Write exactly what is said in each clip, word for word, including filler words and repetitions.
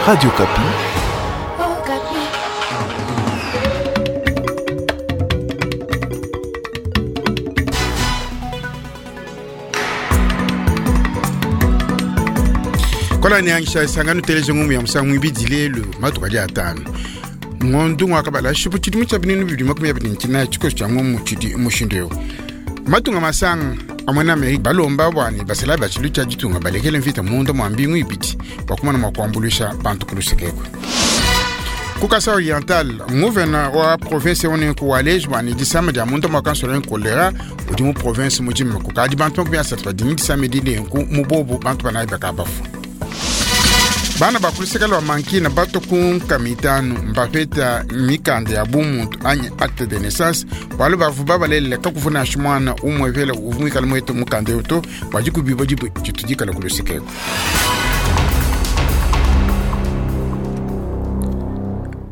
Radio Okapi. Okapi. Kola niangisha isangano teleje ngumu ya musangu ibidi lelu matuka dia atanu ngondu ngwakabala shipu tshidimu tshia binunu bibidi makumi abidi ne tshinayi tshikoso tshia ngumu tshidi mushindu eu matunga masanga amwe na Amerika balomba bwani basela ba tshilu tshia ditunga balekele mvita munda mwa mbingu ibidi bua kumana mua kuambuluisha bantu ku lusekekwe. Ku Kasai Oriental, nguvena wa province onenku waleji bwani disama dia munda mua kansola kolera udi mu province mujima kukadi bantu makumi asatu badi disama edi nenku mu bobu bantu banayi bakabafu. Bana bakuluseka lwa mankina bato ku nkama itanu mbapeta mikanda ya bumuntu anyi acte de naissance bualu bavu babalelele kakuvuna nansha mwana umwe vela uvu muikale muete mukanda eu to bua dikubiba dibue ditu dikala ku lusekeko.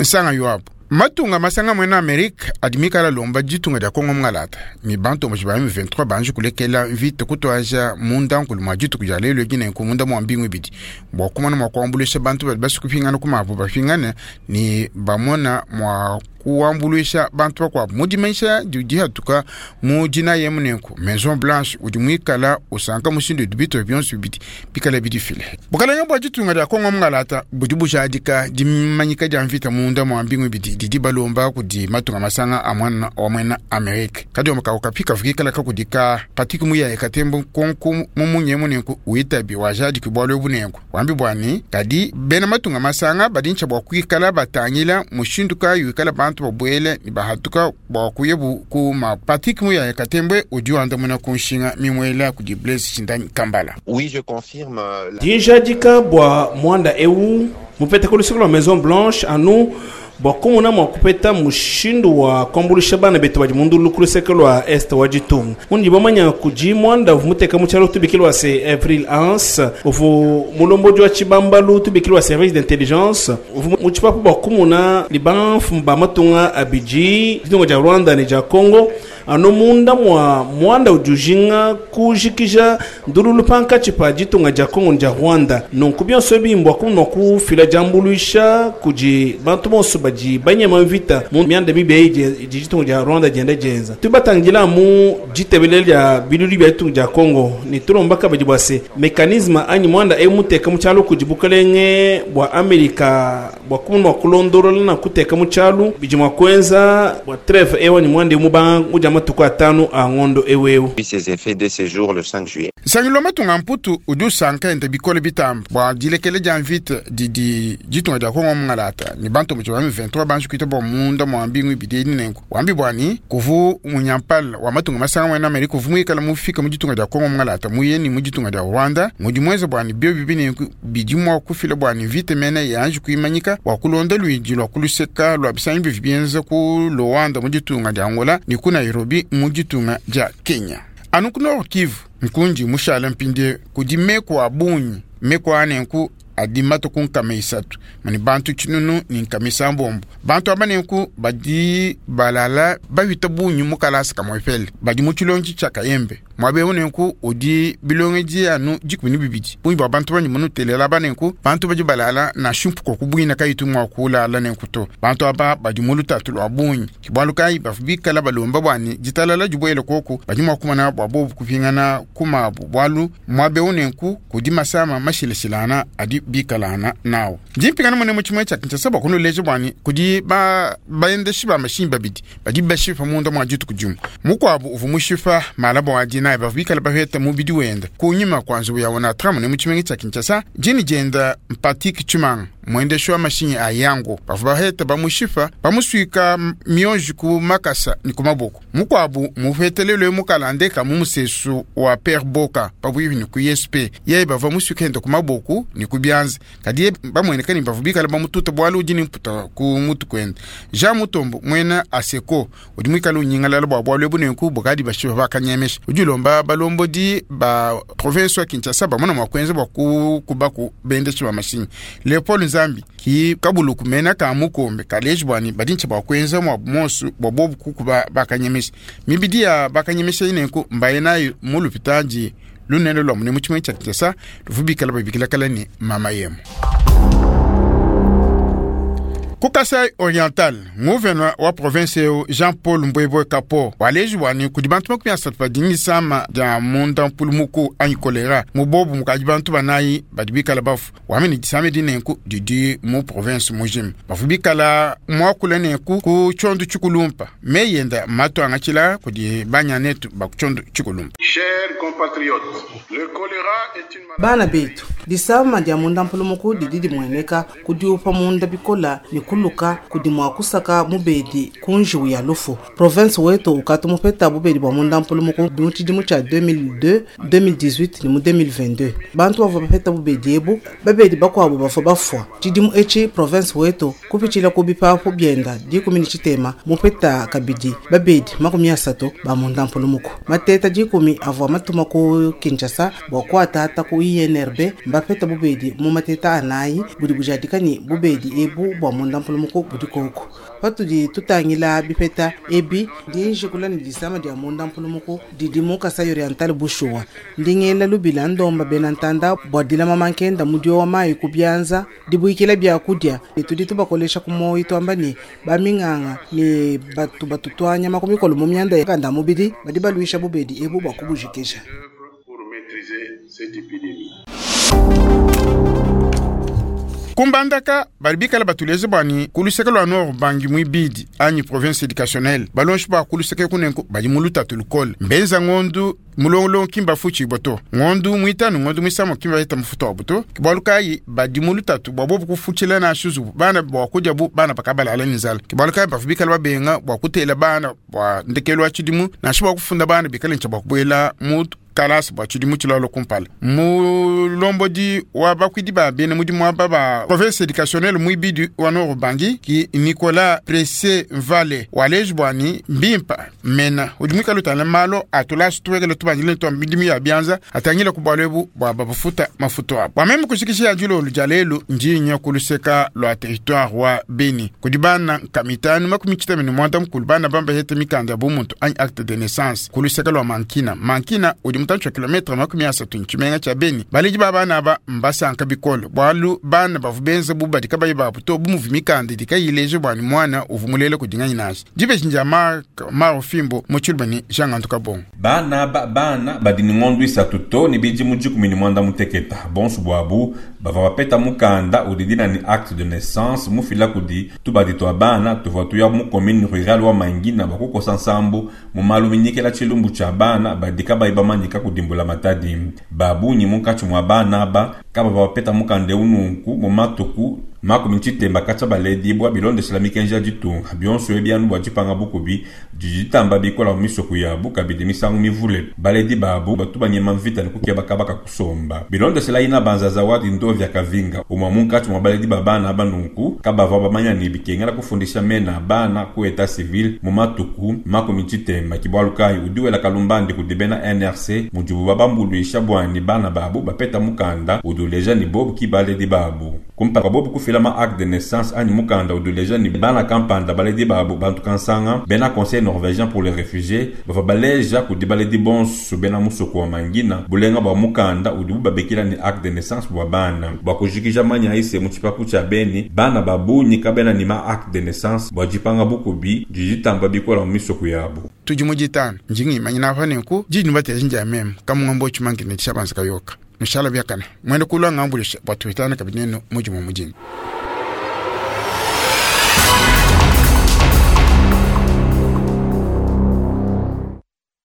Nsanga yoabu matunga masanga mwena Amerika adi mikala lomba ditunga dia Kongo mungalata ni bantu moji ba M vingt-trois banji kulekela mvita kutwaja munda nkulu mwa dituku dia lelo edi nenku munda mwa mbingu ibidi bua kumona mua kuambuluisha bantu badi basukupingana ku mabu bapingane ni bamona mua kuambuluisha bantu bakuabu mu dimanyisha didi hatuka mu dina yemu nenku Maison Blanche udi muikala usanka mushindu udi bito bionso bibidi bikala bidifile. Bukalenge bua ditunga dia Kongo mungalata budi bujadika dimanyika dia mvita munda mwa mbingu ibidi didi balomba kudi matunga masanga a mwana wa mwena Amerika. Kadi wa mukau kapika vukikala kakudika Patrick Muyaya Katembo nkonko mumunye munenku uitabi wajadiki bualu ebu nenku. Wambi bwani kadi bena matunga masanga badi ntsha bua kuikala batangila mushindu kayi wikala bantu babuele ni bahatuka bua kuyebu ku ma Patrick Muyaya Katembwe udi wandamuna ku nshinga mimwela kudi Blaise Shindani Kambala. Oui, je confirme, euh, la Dijadika bua mwanda eu mupete ku luseke lwa Maison Blanche anu bua kumona mua kupeta mushindu wa kuambuluisha bana betu badi mundulu ku luseke lua este wa ditunga. Mundi bamanya kudi mwanda uvu muteka mu tshialo tubikilwa se Avril Haines, uvu mulombodi wa tshibambalu tubikilwa service d'intelligence, uvu mu tshipapu bua kumona libanfu ba matunga abidi ditunga dia Rwanda ne dia Congo. Anu munda mwa mwanda udi ujinga kujikija ndululu pankatshi pa ditunga dia Congo ne dia Rwanda. Nunku bionso ebi mbua kumona kufila diambuluisha kudi bantu bonso badi banyema mvita mu mianda mibi eyi di-, di ditunga dia Rwanda dienda dienza. Tubatangila mu ditebele dia bilulu bia ditunga dia Congo ne tulomba kabidi bua se mekanisme anyi mwanda ewu muteka mu tshialu kudi bukalenge bua Amerika bua kumona kulondolola na kuteka mu tshialu bidi mua kuenza bua trêve ewu anyi mwanda ewu mubanga mu dia matuku atanu a ngondo ewu ewu. Puis ses effets de séjour le cinq juillet. Nsangilu wa matunga mputu udi usanka ende bikole bitamba bua dilekele dia mvita didi ditunga dia Kongo mungalata ni bantu muji ba M vingt-trois banji kuita bua munda mwa mbingu ibidi edi nenku. Wambi bwani kuvu munyampala wa matunga masanga mwena Amerika kuvu muikala mufika mu ditunga dia Kongo mungalata muyeni mu ditunga dia Rwanda mudi mweze bwani bio bibi nenku bidi mua kufila bwani mvita mene yanji kuimanyika bua kulonda luidi lua kuluseka lua bisangi bivi bienza ku Luanda mu ditunga dia Angola ni ku Nairobi mu ditunga dia Kenya. Anu ku Nord Kivu nkundi mushala mpinde kudi meko a bungi meko anenku adi matuku nkama isatu mani bantu tshinunu ni nkama isambombo. Bantu aba nenku badi balala bawita bungi mu kalasa kamwe pele badi mu tshilonji tshia Kayembe mwabe eu nenku udi bilongedi anu dikumi ne bibidi bungi bua bantu bandi munutelela aba nenku bantu badi balala na shimpuko ku bwina kayitu mua kulala nenku to bantu aba badi mu lutatu lua bungi ke bualu kayi bavu bikala balomba bwani ditalala dibuele koku badi mua kumana bua bobu kupingana ku mabu bualu mwabe eu nenku kudi masama mashilashilana adi bikalana nawo. Ndi mpingana mune mu tshimue tshia Kinshasa bua kunuleja bwani kudi ba-, baendeshi ba mashinyi babidi badi bashipa munda mua dituku dimue. Mukuabu uvua mushipa malaba wa dinayi bavua bikala bapeta mubidi wenda kunyima kua nzubu ya Onatra mune mu tshimenga tshia Kinshasa. Dini dienda Mpatik Tshimanga mwendeshi wa mashinyi a yango bavua baheta bamushipa bamusuika mionji ku makasa ni ku maboko. Mukuabu mupetelelwe mukalandeka mu musesu wa Père Boka pabuipi ni ku I S P yeye bavua musuika enda ku maboko ni ku bianza kadi ye bamueneka ni bavua bikala bamututa bualu udi ni mputa ku mutu kwenda. Jean Mutombo mwena Aseko udi muikala unyingalala bua bualu ebu nenku bukadi bashipa bakanyemesha udi ulomba balombodi ba province wa Kinshasa bamona mua kuenza bua kukuba ku bendeshi ba mashinyi. Leopold Nzambi ki kabulu kumena ka mukombe kaleji bwani badinche bua kuenza mua monsu bua bobu kukuba bakanyemesha mibidi ya bakanyemesha inenku mbaye nayo mu lupitadi lunene lwa mune mu tshimenga tshia Kinshasa luvubikala babikila kala ni mama yemo. Ku Kasai Oriental, gouverneur wa province eu Jean-Paul Mbwebwe Kapo waleji bwani kudi bantu makumi asatu badingisama dia munda mpulumuku anyi kolera mubobu mukaji bantu banayi badi bikala bafu wamene disame dinenku didi mu province mujima bafu bikala mwakula nenku ku tshondu tshikulumpa meyenda matu angatshila kudi banyanetu baku tshondu tshikulumpa. Chers compatriotes, le choléra est une Bana betu, disama dia munda mpulumuku didi dimueneka kudiupa munda bikola ne kuluka kudi mua kusaka mubedi kunjiwu ya lufu. Province wetu ukatu mupeta bubedi bua munda mpulumuku mu tshidimu tshia deux mille deux, deux mille dix-huit ne mu deux mille vingt-deux. Bantu bavua bapeta bubedi ebu, babedi bakuabu bavua bafua. Tshidimu etshi province wetu kupitshila ku bipapu bienda dikumi ne tshitema mupeta kabidi babedi makumi asatu ba munda mpulumuku. Mateta dikumi avua matuma ku Kinshasa bua kuatata ku I N R B mbapeta bubedi mu mateta anayi budi bujadika ne bubedi ebu bua munda mpulumuku budi koko. Patudi tutangila bipeta ebi dinjikula ne disama dia munda mpulumuku didi mu Kasai Oriental bushuwa. Ndingela lubila ndomba bena ntanda bua dilama mankenda mudio wa mayi ku byanza dibuikila byakudia ne tudi tubakolesha ku moyi twamba ne baminganga ne batu batutwanya makumikolo mu myanda ya kanda mubidi badi baluisha bubedi ebu bua kubujikisha. Pour maîtriser cette épidémie. Kumbandaka bali bikala batuleze bwani kuluseke lwa Nord Ubangi mwibidi anyi province éducationnelle balonshi bwa kuluseke kunenku badi mu lutatu lukole mbenza ngondu mulongolongo kimba futshibwa to ngondu mwitanu ngondu mwisamo kimba yeta mufuta wabu to kibwalu kayi badi mu lutatu bwa bobu kufutshila na shuzubu bana bwa kudya bu bana bakabalala ni nzala kibwalu kayi bafu bikala babenga bwa kutela bana bwa ndekelu wa tshidimu nansha bwa kufunda bana bikala ntsha bwa kubuela mu kalasa bua tshidimu tshilalo kumpala. Mulombodi wa bakwidi ba bene mudimu aba ba province éducationnelle mwibidi wa Nord Ubangi ki Nicolas Presse Mvale waleji bwani mbimpa mena udi mwikala utana malo atulasi tuwekele tubangile twa midimu ya bianza atangile ku bwalu ebu bua babafuta mafuto abo bua meme kushikisha ya dilolo dia lelu ndinya kuluseka lua territoire wa Beni kudi bana nkamitanu makumi tshitema ne mwanda mukulu bana bamba hete mikanda ya bumuntu anyi acte de naissance kuluseka lua Mankina. Mankina udi mutantshi wa kilometre makumi asatu ntshimenga tshia Beni. Baledi ba bana aba mbasanka bikole bwalu bana bavu benza bu badi kabayi babu to bumuvi mikanda idi kayileje bwani mwana uvu mulele kudinganyi nashi dibeji ndia Mark Maro Fimbo mu tshiluba ni Jean Gantu Kabongo. Bana ba bana badi ni ng'ondu isatu to ni bidimu dikumi ni mwanda muteketa bonso bwabu bava bapeta mukanda udi dina ni acte de naissance mufila kudi tubadi twa bana tuvua tuya mu commune rurale wa Mangina bakukosa nsambu mu malu minyikela tshilumbu tshia bana badi kabayi bamanyika kudimbula matadi. Babunyi munkatshi mua bana aba kaba bapeta mukanda eu nunku mu matuku makumi tshitemba katshia baledibwa bilondeshela mikenji ya ditunga. Bionso ebi anu bua dipanga bukubi didi ditamba bikola mu misoko yabu kabidi misangu mivule baledi babu batu banyema mvita ne kukeba kabaka kusomba. Bilondeshela ina banzaza wa dindovya kavinga umwa munkatshi mua baledi ba bana aba nunku kabavua bamanya ne bikengela kufundisha mena bana ku état civil mu matuku makumi tshitemba. Kibwalu kayi udi wela kalumbandi kudi bena N R C mudibu babambuluisha bwani bana babu bapeta mukanda udi uleja ni bobu ki baledi babu. Kumpala bobu kufila ma acte de naissance anyi mukanda udi uleja ni bana kampanda baledi babu bantu kansanga, bena Conseil norvégien pour les réfugiés bava baleja kudi baledi bonso bena musoko wa Mangina bulenga bua mukanda udibu babikila ni acte de naissance bua bana. Bua kujikija manya ise mu tshipapu tshia Beni bana babunyi kabena ni ma acte de naissance bua dipanga bukubi didi ditamba bikola mu misoko yabu. Tudi mu ditanu njingi imanyina apa nenku didi nibatela ndia meme kamungombo tshimankine tshiabanza kayoka nushala biakana mwene kulwa ngambulisha bua tuitana kabidi nenu mudimu mudini.